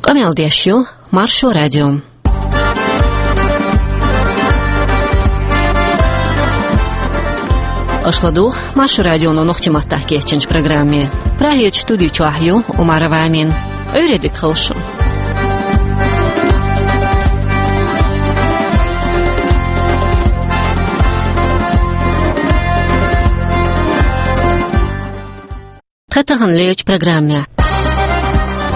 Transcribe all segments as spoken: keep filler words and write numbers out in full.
Къамел деш ю Маршо радио. Аша ладугӀу Маршо радионо нохчийн маттахь кечйинчу программе. Прагерчу студи чохь ю Умарова Амина. Ӏуьйре дика хуьлда шун. Тхан тахана лерчу программехь.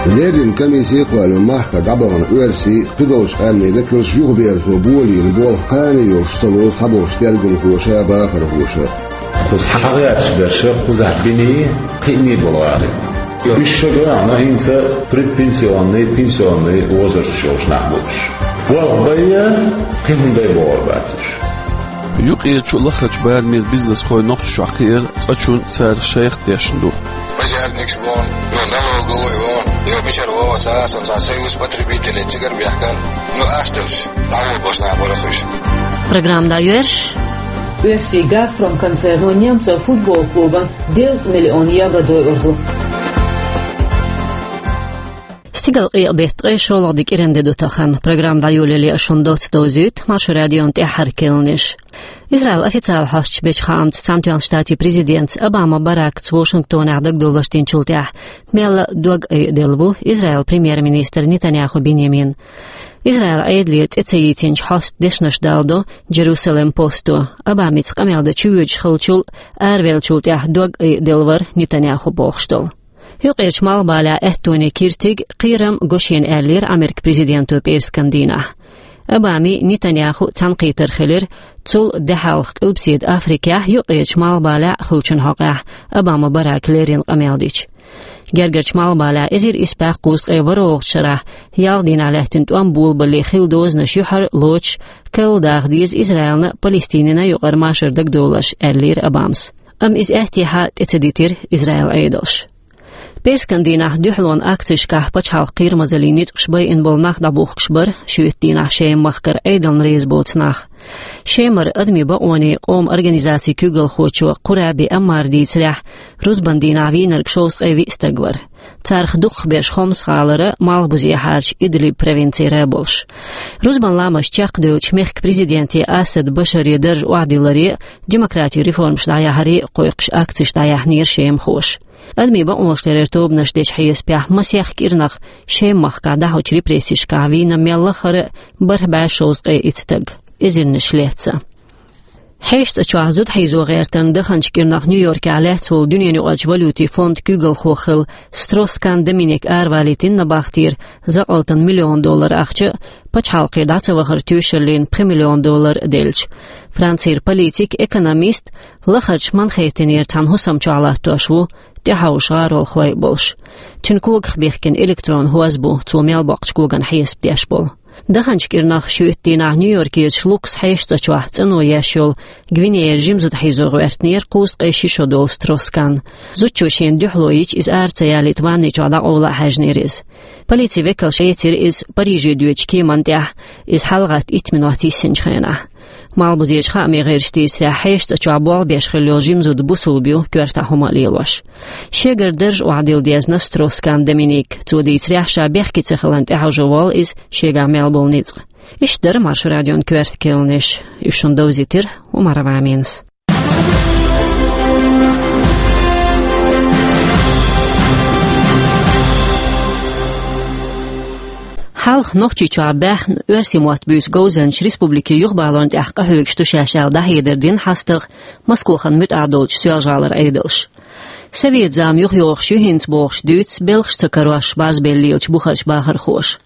Леррина комиссия а кхоьллина махкара дӀабахана оьрсийн а, кхидолчу къаьмнийн векалш юхаберзо болийна болх кхана йолуш ца лору цхьаболчу тергамхоша а, бахархоша а. Кхуза хьагӀерташ берш кхузахь биний, кхиъний болу гӀалин. Уьш шо гахана хӀинца предпенсионный, пенсионный возрасташ йолуш нах бу уьш. Болх бай, кхин хӀун дай бохур бац уьш. Юккъерчу лахарчу барамийн бизнесхой Нохчийчохь кхиира цкъачунна цара шайх тешна ду. Пожарникаш вон, йо налоговый вон, йо мичара вон, цхьа а сан цхьа союз потребителей цигара бехкан, ну, астамаш, дӀаволбаш нах бара уьш. Программа дӀайоьрзуш. Оьрсийн «Газпром» концерно немцойн футбол клубан дезткъа миллион евро дойур ду. Стигала къекъа беттан ткъе шолгӀа де кӀиран де ду тахана. Программа дӀайолале аша шуна доцца довзуьйту Маршо радион тӀаьххьара керланаш. Израилан официалан хьосташа бечу хаамца, Цхьаьнатоьхначу Штатийн президентца Обама Барака Вашингтонехь дагадовларш динчул тӀаьхьа мелла а дог айаделла ву Израилан премьер-министр Нетаньяху Биньямин. Израилан Ӏедале цӀе ца йийцинчу хьостан дешнаш даладо Джерусалем Посто. Обамица къамел дан чувоьдуш хиллачул а, аравеллачул тӀаьхьа дог айаделла вара Нетаньяху бохуш долу. Юккъерчу Малхбалехь аьттонийн киртиг, кхерам го шена, аьллера Америкин президенто пӀераскан дийнахь. Обамий, Нетаньяхуй цхьаьнакхетар хилира, цул де хьалха Къилбаседа Африкехь, Юккъерчу Малхбалехь а хуьлучун хьокъехь Обама Барака леррина къамел дича. Гергарчу Малхбалехь эзар исс бӀе кхузткъе ворхӀалгӀачу шарахь ялх дийнахь лаьттина тӀом болабалале хилла дозанаш юьхьарлоцуш, карладаха деза Израилна а, Палестинина а юкъара машар дагадовларш, аьллера Обамас. Амма иза аьттехьа тӀе ца дитира Израилан Ӏедалша. ПӀераскан дийнахь дуьхьалонан акцешкахь пачхьалкхан кхерамазаллин ницкъаш байина болу нах дӀабухкуш бара шуьйта дийнахь Шеман махкара Ӏедална реза боцу нах. Шемара Адамийн бакъонийн къоман организацин куьйгалхочо Къураби Аммара дийцарехь, рузбан дийнахь вийнарг шовзткъе виъ стаг вара. Царах дукхахберш Хомс гӀалара, малхбузехьарчу Идлиб провинцера а болуш. Рузбан ламаз чекхдевлча, мехкан президенте Асад Башаре дарж охьадилларе а, демократин реформаш дӀаяхьаре а кхойкхуш акцеш дӀаяьхьнера шемахоша. Адамийн бакъонаш ларъяран тобанаша дечу хьесапехь, масех кӀирнах Шеман махкахь дӀахьочу репрессешкахь вийна мел лаххара а бархӀ бӀе шовзткъе итт стаг, эзарнаш лецна. Хьешан цӀа чохь зуда хьийзо гӀертарна даханчу кӀирнах Нью-Йоркехь лаьцна волу дуьненаюкъарчу валютийн фондан куьйгалхо хилла Строс-Кан Доминик аравалийтина набахтера закъалтана миллион доллар ахча а, пачхьалкхе дӀа ца вахаран тоьшаллина пхи миллион доллар а делча. Францера политик, экономист, лахарчу Манхэттенера цхьана хӀусам чохь латтош ву, тӀехьовша гӀаролхой а болуш. Цуьнан когах бихкина электрон хӀоз бу, цо мел боккхучу коган хьесап деш болу. Даханчу кӀирнах шуьйтта дийнахь Нью-Йоркерчу Лукас хьешан цӀа чохь цӀано еш йолу Гвинеяра жима зуда хьийзо гӀоьртинера кхузткъе ши шо долу Строс-Кан. Зудчо шена дуьхьало йича, иза ара ца ялийта, ванни чохь дӀакъовла а хьаьжнера иза. Полицин векалша эцира иза Париже доьдучу кеманна тӀехь, иза хьалагӀатта итт минот йиссинчу хенахь. Малхбузерчу хаамийн гӀирсаша дийцарехь, хьешан цӀа чохь болх беш хилла йолу жима зуда бусулба ю, коьртахь хӀума а лелош. Шегара дарж охьадилла дезна Строс-Кан Доминик. Цо дийцарехь, ша бехке ца хиларна тӀехьожо волу иза шегахь мел болу ницкъ. Иштта дара Маршо радион коьрта керланаш. Уьш шуна довзийтира Умарова Аминас. Хьалха Нохчийчохь баьхна оьрсийн мотт буьйцу говзанчаш республикин юхабалорна тӀехь къахьоьгуш ду шаьш аьлла, дӀахьедар дина хьастагӀа Москохана муьтӀахь долчу Соьлжа-ГӀалара Ӏедалша. Совет зама юхайогӀуш ю хӀинца бохуш дуьйцу белхаш ца карош базбелла лелачу бухарчу бахархоша.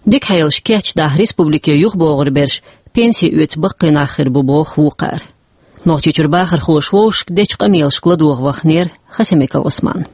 Дика хьелаш кечдахь, республике юхабогӀур берш пенси оьцу баккхий нах хир бу, боху вукхара. Нохчийчуьра бахархоша вовшашка дечу къамелашка ладогӀа ваханера Хасимиков Ӏусман.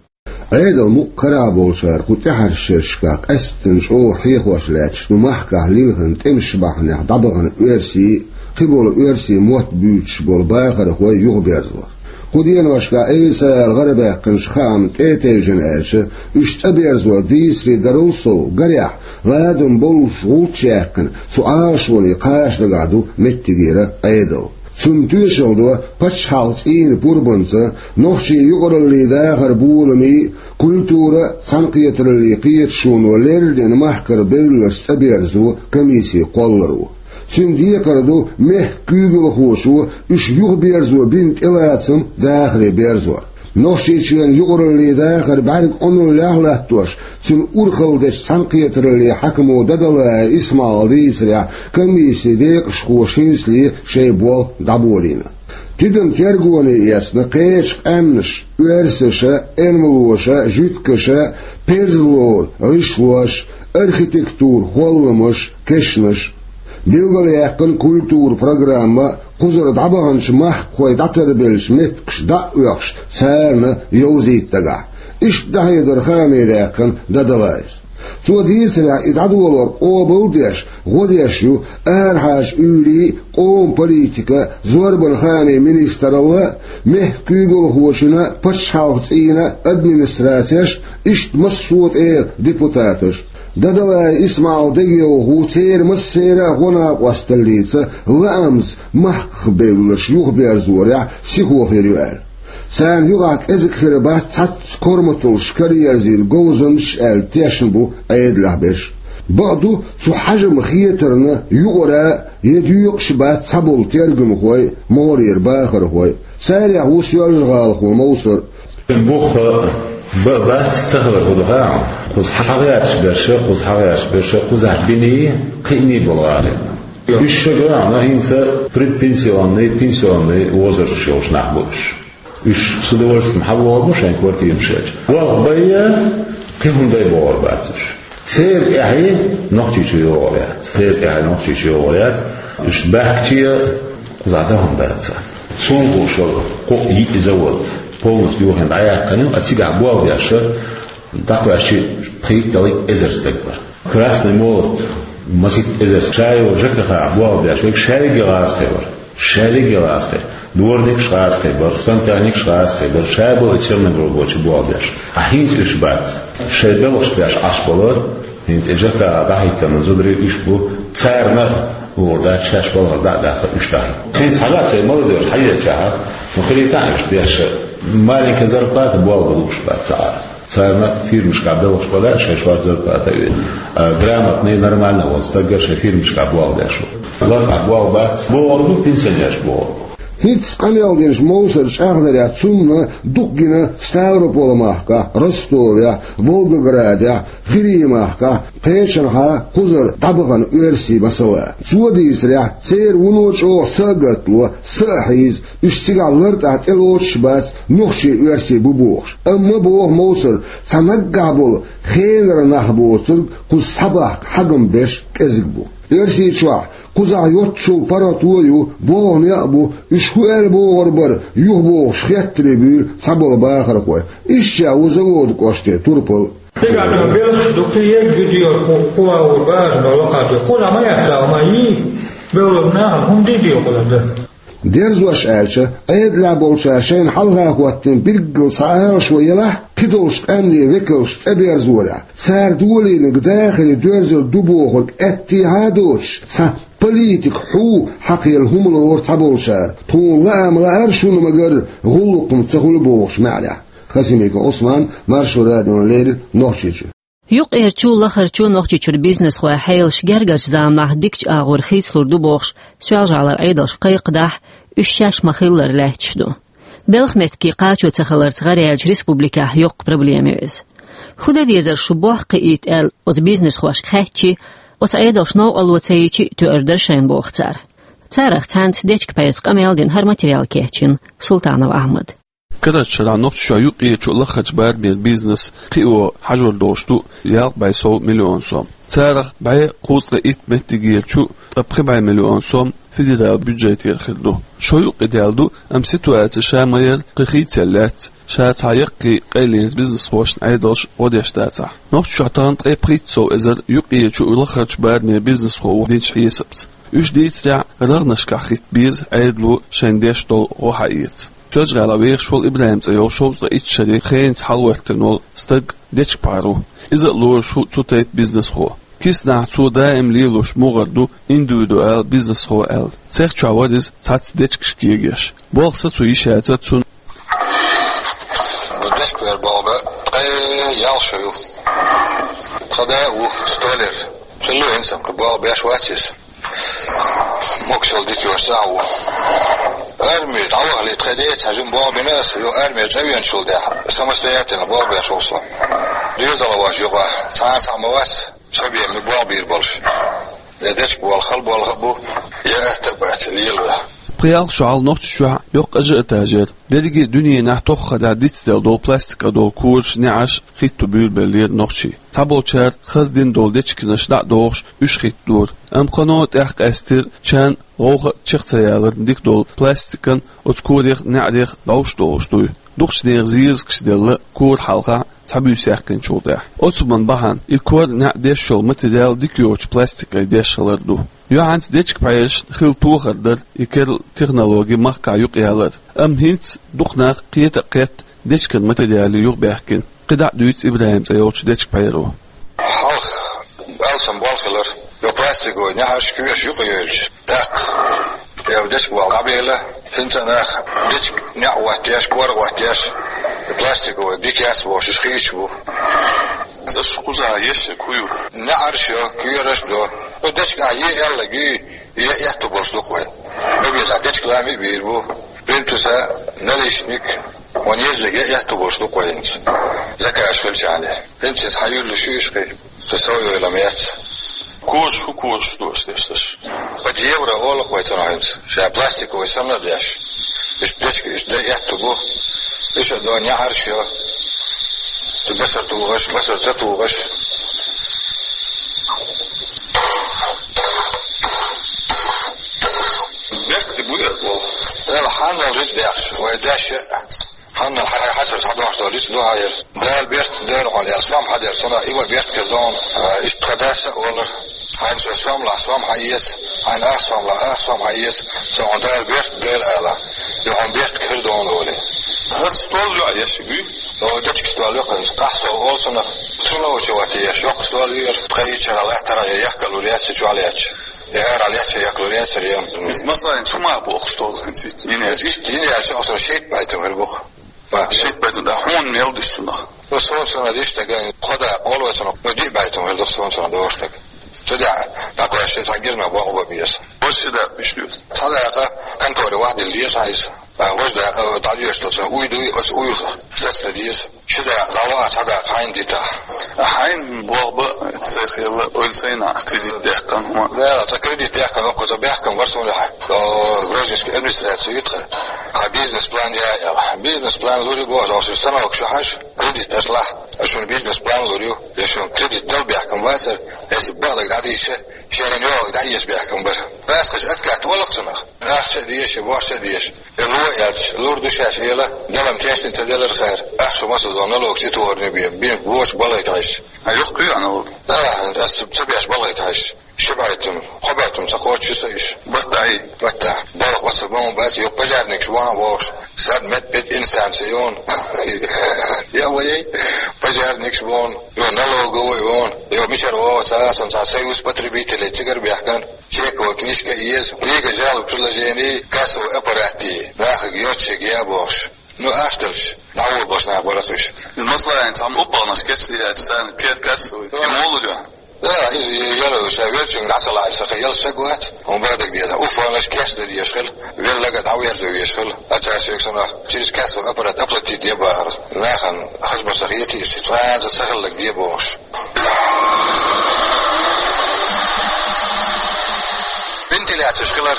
Ӏедал мукъ карахь болчара кху тӀаьхьарчу шерашкахь къаьсттина чӀогӀа хьехош лаьтташ ду махкахь лилхина тӀемаш бахьанехь дӀабахана оьрсийн а, кхиболу оьрсийн мотт буьйцуш болу бахархой юхаберзалар. Кху деношкахь Ӏеса аьлла гӀарабаьккхинчу хаамна тӀе а тевжина аьлча, уьш цӀа берзор дийцаре дарал сов, гарехь, ладам боллуш гӀулч яьккхина, цу Ӏалашоне кхача дагахь ду меттигера Ӏедал. Цунна тоьшалла до паччахьалкхан цӀийнан пурбанца, нохчийн юкъараллин дахаран боламийн, культуран а, цхьаьнакхетараллин кхеташоно леррина махкара белларш цӀаберзо комиссин кхолларо. Цуьнан декхар ду мехкан куьйгалхошо уьш юхаберзо бина тӀелацам дахаре берзор. Нохчийчоьнан юкъараллин дахар бӀаьрга Ӏуналлехь латтош, цуьнан урхалла дечу цхьаьнакхетараллин хьаькамо Дадалаев Исмаила дийцарехь, комиссин декъашхоша хӀинцале шайн болх дӀаболийна. Тидам тергоне эцна кхечу къаьмнаша: оьрсаша, эрмалоша, жуьгташа, перзалора гӀишлоша, архитектуран холламаша, кешнаша. Билгалъяьккхина культуран программа, кхузара дӀабаханчу махкахойн дӀатарбеллачу меттигаш дӀа а оьхуш, царна йовзийта дагахь. Иштта дӀахьедар хаамадаьккхина Дадалаевс. Цо дийцарехь, и дӀадолор къобал а деш, гӀо деш ю арахьарчу уьйрийн, къоман политикан, зорбанан хаамийн министралла а, мехкан куьйгалхочун а, пачхьалкхан цӀийнан а администрацеш а, иштта массо а тӀера депутаташ а. Дадалаев Исмаил дегайовхо церан массеран а гӀо-накъосталлица лаамца махках белларш юхаберзорехь сихо хир ю аьлла. Царна юкъахь кӀезиг хир бац цхьацца корматаллаш караерзийла говзанчаш аьлла тешна бу Ӏедалехь берш. Бакъду, цу хьежаман хетарна юкъара а, я доькъуш а бац цхьаболу тергамхой а, могӀарера бахархой а. Царех ву соьлжа-гӀалахо Мовсар. Бух а, бан а бац, ца хилар хӀун ду хаьий хьуна? Кхуза хьагӀерташ берш а, кхуза хьагӀерташ берш а, кхузахь биний, кхиъний болу гӀалина. Уьш шуьга а, но хӀинца предпенсионный, пенсионный возрастехь йолуш нах бу уьш. Уьш с удовольствием хьавогӀур бу шайн квартирамашкахь. Болх бай а, кхин хӀума дай бохур бац уьш. Церан тӀаьхье Нохчийчу йогӀур яц. Церан тӀаьхье Нохчийчу йогӀур яц. Уьш баьхкича а, кхузахь дан хӀума дац. Суна хууш йолу кху йиъ завод полностью йохийна дӀаяьккхина ю, а цигахь болх беш а, дӀакхоьссича, пхийтта-ялхитта эзар стаг бара. Красный молот, масийтта эзар стаг. Ша йолу ЖКХ-хь болх беш верг шаьргге гӀазкхи бара. Шаьргге гӀазкхи. Дворникаш гӀазкхи бара, сантехникаш гӀазкхи бара, ша болу и черномуровой чу болх беш. Ткъа хӀинца уьш бац. Шайн белхаш беш Ӏаш болу, хӀинца и ЖКХ дӀахӀиттина зударий уьш бу, царна а луур дац, шаьш балхара дӀа а даха уьш даха. Хьинца хьагӀ а ца молодёжь хьаелчахьа, ну, хилийта уьш деш а, маленькая зарплата болх бан лууш бац цхьа а. Царна фирмашкахь белхаш бан лаьа, шайн шорта зарплата а вина. А грамотный, нормально волу стаг а шайн фирмашкахь болх беш ву. Лартахь болх бац, богӀур бу, пенсионераш богӀур бу. ХӀинцца къамел динчу Мовсар чӀагӀдарехь, цунна дукха гина Ставрополь-махкахь, Ростовехь, Волгоградехь, Хирий-махкахь, кхечанхьа кхузара дӀабахана оьрсий масала. Цо дийцарехь, церан вуно чӀогӀа са а гатло, са а хьийза, уьш цигахь лартахь тӀелоцуш а бац, нохчий-оьрсий бу бохуш. Амма, боху Мовсара, цхьа наггахь болу хенара нах боцург кхуза схьабахка хьагам беш кӀезиг бу. Оьрсийчохь кхузахь йоццул паргӀато а ю, болх некъ а бу, уьш хӀун аьлла богӀур бара, юхабохуш хеттарий буьйлу цхьаболу бахархой. Ишттачех ву Заводан кӀоштан турпал. Дегахь белхаш ду, кхин ерг гуьдийла кху, кху вагӀур бара, но лакхарчу. Кхузахь ма яц, ма йий, бевлла нахана хӀума дийца йо кхузахь дан. Дерзош аьлча, Ӏедалехь болчара шайна хьалха хӀоттийна билггал цхьа ала шо елахь, кхидолчу къаьмнийн векалш цӀа берзорехь, цара долийнарг дахаре доьрзур ду бохург аьттехьа а доцуш, цхьа политик хьу хьакхаелла хӀума лору цхьаболчара, тхуна лаам лаьара шуна ма-гарра, гӀуллакх-м ца хуьлу бохуш маьӀнехь. Хасимиков Ӏусман, Маршо радиона леррина, Нохчийчуьра. Юккъерчу, лахарчу Нохчийчуьра бизнесхойн хьелаш гергарчу заманахь дикачу агӀор хийцалур ду бохуш, Соьлжа-ГӀалара Ӏедалша кхайкхадахь, уьш шаьш ма-хиллара лаьтташ ду. Белхан меттиге кхачо ца хиларца гӀараяьллачу республикехь йоккха проблема ю иза. ХӀун дан дезара шу болх кхиийта аьлла оцу бизнесхошка хаьттичи, оцу Ӏедалша новкъарло ца йичи а тоьар дара шайна боху цара. Царах цхьаьнца дечка-пайраца къамел дина хӀара материал кечйина Султанов Ахьмада. Карарчу шарахь Нохчийчохь юккъерчу а, лахарчу барамера бизнес кхио хьажор долуш ду ялх бӀе сов миллион сом. Царах бӀе кхузткъе итт меттигерчу, ткъа пхи бӀе миллион сом федералан бюджетера хир ду. Шо юккъе даьлла ду, амма ситуаци ша ма-ярра кхин хийцаелла лаьцна, ша цхьа яккхий къайленца бизнесхошна Ӏедалша гӀо деш дацахь. Нохчийчохь тахана ткъе пхийтта сов эзар юккъерчу а, лахарчу а барамера бизнесхо ву динчу хьесапца. Уьш дийцарехь, рагӀнашкахь хӀитта беза Ӏедало шайна деш долу гӀо хьаэца. Соьлжа-ГӀалахь вехаш волу ИбрахӀим цӀе йолу шовзткъе итт шаре хенца хьалахӀоьттина волу стаг дечка-пхьар ву. Иза а лоруш ву цу тайпа бизнесхо. Киснахь цо даим лелош мугӀар ду индивидуал бизнесхо аьлла. Цех чохь вара иза цхьацца дечигаш кегош. Болх сацо йиш яцара цунна. Дечигаш боху бан ткъе ялх шо ю. Тхан да а ву столяр. Цо луьйна сан кху боху беш вац иза. Моксал дика йош цхьа а ву. Арми дӀавахале тхе деца хьажим боху бина аса, ю арми цӀа веначул тӀехь, самостоятельно боху беш ву со. Доьзал ваш юкъа, цхьана схьа ма вац, со бен ми боху бийр болуш. Я дечиг болу хала болу а бу, я атта а бац, лела. Пхи ялх шо хьалха Нохчийчохь йоккха ажиотаж яра. Дерриге а дуьненахь тоххара дицделла долу пластиках долу кораш, неӀарш хӀитто буьйлабеллера нохчий. Цхьаболчара хаза дина долу дечигаш дӀа а дохуш, уьш хӀиттадора. Амма кхано тӀекъаьстира, чан гӀовгӀа а чекх ца яларна дика долу пластикан оцу корех, неӀарех дӀовш долуш дуй. Дукхачу нехан зезагаш делла кора хьалха цхьа буьйса яьккхинчул тӀаьхьа. Оцу хӀуманна бахьана и кор, неӀ деш йолу материал дика йоцучу пластиках деш хилар ду. Юьхьанца дечиг-пхьерашна хилла тохар дара и керла технологи махкахь юкъаялар. Амма хӀинца дукха нах кхета а кхетта, дечиган материале юхабаьхкина. КхидӀа а дуьйцу ИбрахӀим цӀе йолчу дечиг-пхьеро. Хьалха алсам болх хилар, йо пластиковый неӀарш, коьрташ юкъайовлуш, даккха. Я дечиг болу дӀабелла, хӀинца нах дечиг, неӀ оттаеш, кор оттаеш, пластиковый дика яц бохуш, уьш хийцаш бу. ЦӀаш кхузахь еш хӀун ю? НеӀарш йо, коьрташ до. Ну, дечиг ахь е аьлларг юй, е аьтту болуш ду-кх вайн. Ма беза, дечиг лами а бийр бу. Плинтуса, наличник, вайн еззиг е аьтту болуш ду-кх вайнца. Заказ хилчахьана. ХӀинца хьан юьллуш ю уьш кхин? Со сов йойла ма яц. Кораш, хӀун кораш ду аш деш дерш? Пхи евро олу-кх вай цунах хӀинца. Ша пластиковый санна а деш. Иштта дечиг, иштта дай аьтту бу. Иштта до неӀарш йо. Цу басар тухуш, басар ца тухуш. Бехк ди буй ат болу? Эла хьанал рит дехаш, вай деш а. Хьанал хьай хьасар схьадохьуш долу рицкъ ду хьайра. Дала берт дойла хьуна, аьлла, сом хьадера. Сона и ма берт хир ду хьуна, а, иштта тхан дас а олура. Хьайна со сом лахь, сом хьаэца, хьайна ах сом лахь, ах сом хьаэца. Со хьуна Дала берт дойла ала. Юха хьуна берт хир ду хьуна олий. ХӀара стол ю а еш буй? О, дечиг стол ю хӀинца. Къахь со олу цунах. Цу ловча вати еш, йоккха стол ю еш. Тхайчара латтара яхкалур яц, чохь лаьтташ. Яра лаьтташ яхкалур яцара ем. Масала, цу ма боху стол хӀинца. Йина яьлча. Йина яьлча, оцу шийтта байтам хир бу-кх. Ма. Шийтта байтам, да, хьуна мел диш цунах? Ну, сон цунах диш дага, кхо дакъа олу цунах, ну, диъ байтам хир ду-кх сон цунах догӀуш дага. Цу дӀа, дӀакхоьссича, цхьа гирна боху бан беза. Вай ши дакъа миш ду? Цхьа дакъа конторе вахьдилла деза хьайса. А, вай ши дакъа, э, дӀадоьшуш долчу уй дуй, оцу уйла сацдан деза. Ши дакъа дӀаваха, цхьа дакъа хьайна дита. А хьайна боху бан, цайх елла, ойла сайна кредит даьккхина хӀума. Да, цхьа кредит даьккхина, воккхуза баьхкина вара суна хьа. О, Грозненский администраци ю тхан. Хьан бизнес-план яй аьлла. Бизнес-план лур ю боху, шун станок шу хьажа, кредит аша лахь. Ас шуна бизнес-план лур ю. Я шуна кредит дала баьхкина вацара, аса баалаг дӀадийша, шеран йогӀаг дӀаэца баьхкина бара. Паскаш откат олу-кх цунах. Ахча а дезаш, борша а дезаш. Э, ло аьлча, лур ду шаьш эла, далам тешна ца делар хара. Ахча масазон налогаш и тохарне бен, бен бочу балайка хьаьжча. А юхкуьй а налог? Да, ас ца беш балайка хьаьжча. Ши байтам, кхо байтам ца кхочуш ю со иш. Баттахьий? Баттахь. Балха бацар бан бац, йо пожарникаш ван вохуш. Сад мет пет инстанция юн. Я вай, пожарникаш вон, йо налоговый вон, йо мичара вогӀу ца асан ца союз потребителей цигара бехкан. Чековая книжка еза, книга жалоб, предложений, кассовый аппарат, нахаг йоцчиг я бохуш. Ну, аш делш, дӀаволбалш нах бара хиш. Из масала, цхьамма уппалнаш кечдийлача, царна кер кассовый. И муха лур ю? Да, из яра, ша велчунга дӀа ца лаьа, саха ял саг вац, хӀун бадаг деза. Уппалнаш кечдан дезаш хила, веллага дӀаверза везаш хила. А цара шега санах, через кассовый аппарат оплатить е бахара. Нахана хазбар саха етийша, цкъа а ца хиллаг де бохуш. Вентиляцеш хилар,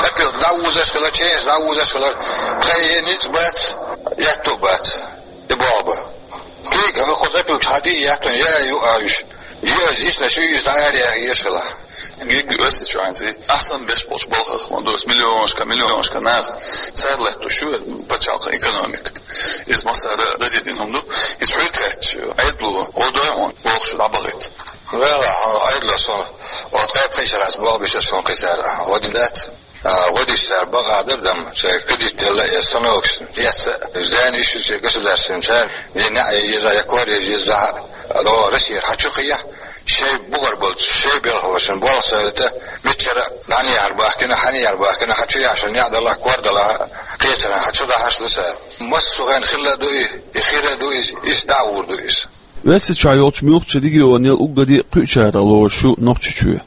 опилка дӀаузаш хилар, ченаш дӀаузаш хилар, тхай е ницкъ бац, ятту бац, и боху ба. Кхига, хӀокху опилка хьади яттун, я ю а уьш. Е а зисна шу иза дӀа аре а еш хила. Гиг оьсса чуьйнца, ахсан беш болчу балхах ма дос, миллионашка, миллионашка нах, цара лаьтту шу пачхьалкхан экономика. Иза масара дадедина хӀума ду, иза хьуьйта хаьтташ, Ӏедало, гӀо дой хьуна, бохуш дӀабахийта. Вела, хьо Ӏедало сон, вот кхайпхийшарас боху бишар сон кхийсара, гӀо дин дац? А, гӀо диш цара бакъа дар дам, шайн кредит делла, я станокаш, эцца, здание иши государственный цара, я неӀ еза, я кор еза, а, до Россия хьачу хия, Шоай бугӀар болча, шоай белхавашан болх сайрата, миччара дӀанехьар бахкина, хьанехьар бахкина, хьа чу яхьашан яхь далахь, кор далахь, кхечара хьа чу дахьаш да сара. Масса хӀена хилла ду и, и хира ду иза, иштта дӀагӀур ду иза. Оьрсийчохь йолчу муьлххачу регионал уггаре а кхуьучарах лоруш ю Нохчийчоь.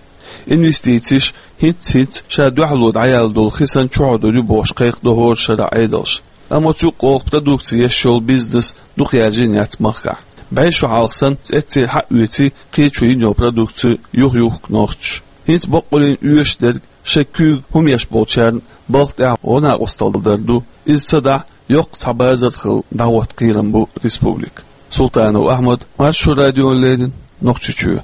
Инвестицеш хӀинц-хӀинц ша дуьхьало дӀаяьлла долу хисан чухьа дур ю бохуш кхайкхадо хӀора шарахь Ӏедалш. Амма цу юккъехула продукци еш йолу бизнес дукха яьржина яц махкахь. БӀе шо хьалха санна, цӀе церан хьаоьций кхечо йина йолу продукци юха-юхку нохчаша. ХӀинца баккъаллин оьшуш дерг шайн куьйга хӀума еш болчарна балха тӀехь гӀо-накъосталла дар ду. Иза ца дахь, йоккха цхьа базар хилла дӀахӀотта кхерам бу республика. Султанов Ахьмад, Маршо радиона леррина, Нохчийчоь.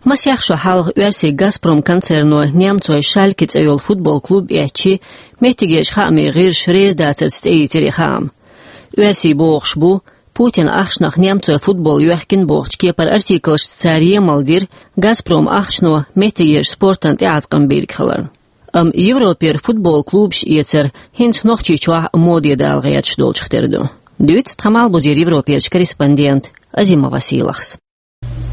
Масех шо хьалха оьрсийн «Газпром» концерно немцойн «Шальке» цӀе йолу футбол клуб эцчи, меттигерчу хаамийн гӀирсаша реза дацарца тӀеийцира и хаам. Оьрсий бохуш бу, Путина ахчанах немцойн футбол йоьхкина бохучу кепара артиклашца цара емал дира «Газпром» ахчано меттигерчу спортана тӀеӀаткъам бийриг хиларна. Амма Европера футбол клубаш эцар хӀинца Нохчийчохь а моде дала гӀерташ долчух тера ду. Дуьйцу тхан Малхбузера Европерчу корреспондента Азимова Сийлахьас.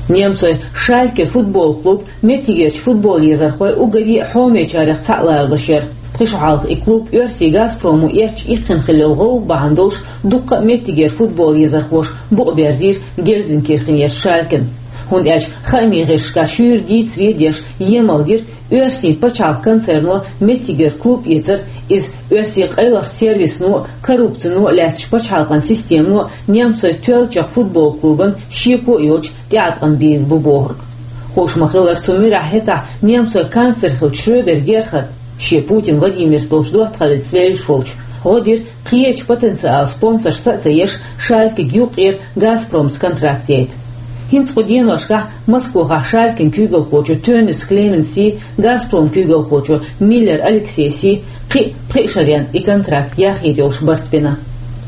Немцойн «Шальке» футбол клуб меттигерчу футбол езархойн уггаре а хьомечарех цхьаъ ларалуш яра. Пхи шо хьалха и клуб оьрсийн «Газпромо» эцча иккхина хилла йолу гӀовгӀа бахьана долуш дуккха а меттигера футбол езархоша букъ берзийра Гельзенкирхенерчу «Шалькена». ХӀунда аьлча хаамийн гӀирсашкахь шуьйра дийцаре а деш, емал дира, оьрсийн пачхьалкхан концерно меттигера клуб эцар, иза оьрсийн къайлахчу сервисно а, коррупцино а лаьцначу пачхьалкхан системано а немцойн тоьллачех футбол клубана шеко а йоцуш тӀеӀаткъам бийр бу бохург. Хууш ма-хиллара, цу муьрехь хӀетахь немцойн канцлер хиллачу Шрёдер Герхарда, шен Путин Владимирца долчу доттагӀаллица вевзаш волчу, гӀо дира кхечу потенциалан спонсоршца а ца еш, «Шалькега» юккъера «Газпромца» контракт яйта. ХӀинца кху деношкахь Москохахь «Шалькен» куьйгалхочо Тённис Клеменси, «Газпром» куьйгалхочо Миллер Алексейси кхин а пхи шарна и контракт яхъяр йолуш барт бина.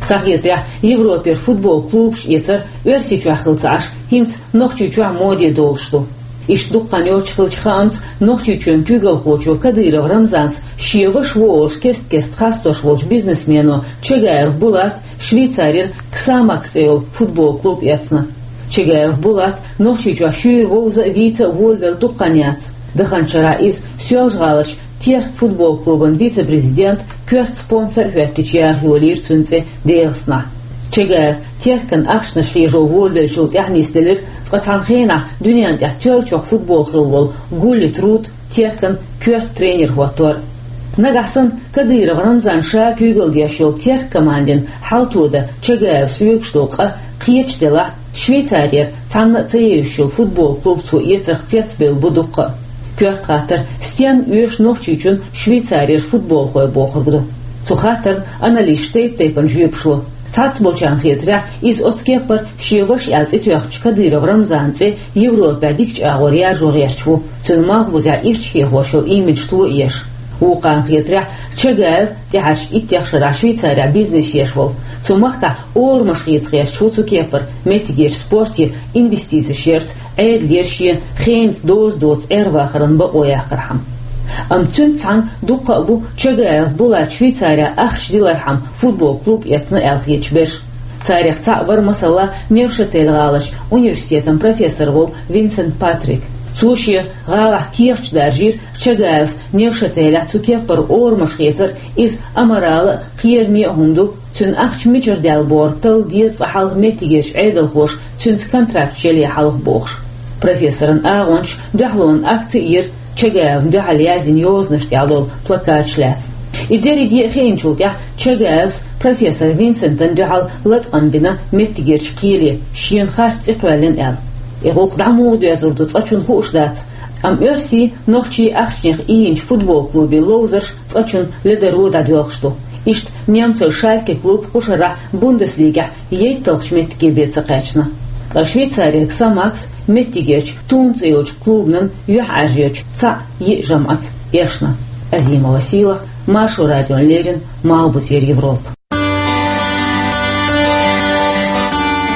Схьахетарехь, Европера футбол клубаш эцар Оьрсийчохь хилла ца Ӏаш, хӀинца Нохчийчохь моде долуш ду. Иштта дукха хан йоццуш хиллачу хаамца, Нохчийчоьнан куьйгалхочо Кадыров Рамзанца шен ваша ву олуш кест-кеста хастош волчу бизнесмено Чагаев Булата Швейцарера «Ксамакс» цӀе йолу футбол клуб эцна. Чагаев Булат Нохчийчохь шуьйра вовза а, вийца а волавелла дукха хан яц. Даханчу шарахь иза Соьлжа-ГӀаларчу «Терк» футбол клубан вице-президент, коьрта спонсор а хӀоьттича яха йолийра цуьнан цӀе ДегӀастанахь. Чагаев «Теркан» ахчанаш хьежо волавеллачул тӀаьхьа нисделира цкъа цхьана хенахь дуьненна тӀехь тоьллачех футбол хилла волу Гулли Труд «Теркан» коьрта тренер хӀоттор. Нагахь санна Кадыров Рамзан ша куьйгалла деш йолу «Терк» командин хьалто дан Чагаевс хьоьгуш долу къа кхеча делахь, Швейцарера цхьанна а ца евзаш йолу футбол клуб цо эцарх цецбевлла бу дуккха а. Коьрта хаттар: стенна оьшу Нохчийчун Швейцарера футболхой бохург ду? Цу хаттарна аналисташа тайп-тайпана жоьпаш ло. Цхьаболчарна хетарехь, иза оцу кеппара шен ваша аьлла цӀе тоьхначу Кадыров Рамзанан цӀе Европехь дикачу агӀор яржо гӀерташ ву, цуьнан Малхбузехь ирча хьехош йолу имидж тоеш. Вукхарна хетарехь, Чагаев тӀаьхьарчу иттех шарахь Швейцарехь бизнес еш волу, цу махкахь орамаш хеца гӀерташ ву цу кеппара меттигерчу спорте инвестицеш ярца, Ӏедалера шен хенаца доза доцу Ӏер-вахаран бакъо яккхархьама. Амма цуьнца цхьаьна дуккха а бу Чагаев Булата Швейцарехь ахча дилархьама футбол клуб эцна аьлла хеташ берш. Царех цхьаъ вара, масала, Невшатель-гӀаларчу университетан профессор волу Винсент Патрик. Цо шен гӀалахь кехаташ даржийра Чагаевс Невшателехь цу кеппара орамаш хецар, иза аморал а, кхераме а хӀума ду, цуьнан ахча мичара даьлла бохург талла деза цкъа хьалха меттигерчу Ӏедалхоша цуьнца контракташ яле хьалха бохуш. Профессоран агӀончаша дуьхьалонан акци а йира Чагаевна дуьхьал язйина йозанаш тӀехь долу плакаташ лаьцна. И дерриге а хиъначул тӀаьхьа Чагаевс профессор Винсентана дуьхьал латкъам бина меттигерчу кхеле, шена харц цӀе кхоьллина аьлла. И гӀуллакх дӀа муха доьзур ду, цкъачунна хууш дац, амма оьрсийн, нохчийн ахчанех ийначу футбол клубийн ловзарш цкъачунна ледаро дӀадоьлхуш ду. Иштта немцойн «Шальке» клуб кху шарахь Бундеслигехь ейтталгӀачу меттиге бен ца кхаьчна. Ткъа Швейцарера «Ксамакс» меттигерчу «Тун» цӀе йолчу клубанан юьхьӀаьржечу цхьаъ-йиъ жамӀаца эшна. Азимова Сийлахь, Маршо радиона леррина, Малхбузера Европа.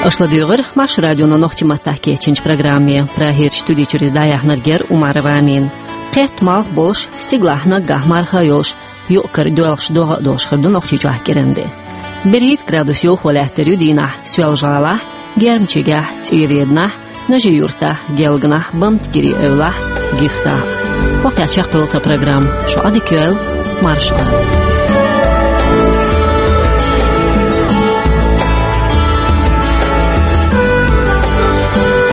Аша ладуьйгӀира Маршо радион нохчийн маттахь кечйинчу программе. Прагерчу студи чуьра иза дӀаяьхьнарг яра Умарова Амина. Кхетта малх болуш, стигалахь наггахь марха а йолуш, юкъ-кара доьлхуш догӀа а долуш хир ду Нохчийчохь кӀиранде. БерхӀитта градус йовхо лаьттар ю дийнахь Соьлжа-ГӀалахь, Гермчигехь, ЦӀийреданахь, Нажи-Юртахь, Гелганахь, Бамтгири эвлахь, Гихтахь. Вахтаьчех пылта программ. Шо адик юэл, маршо.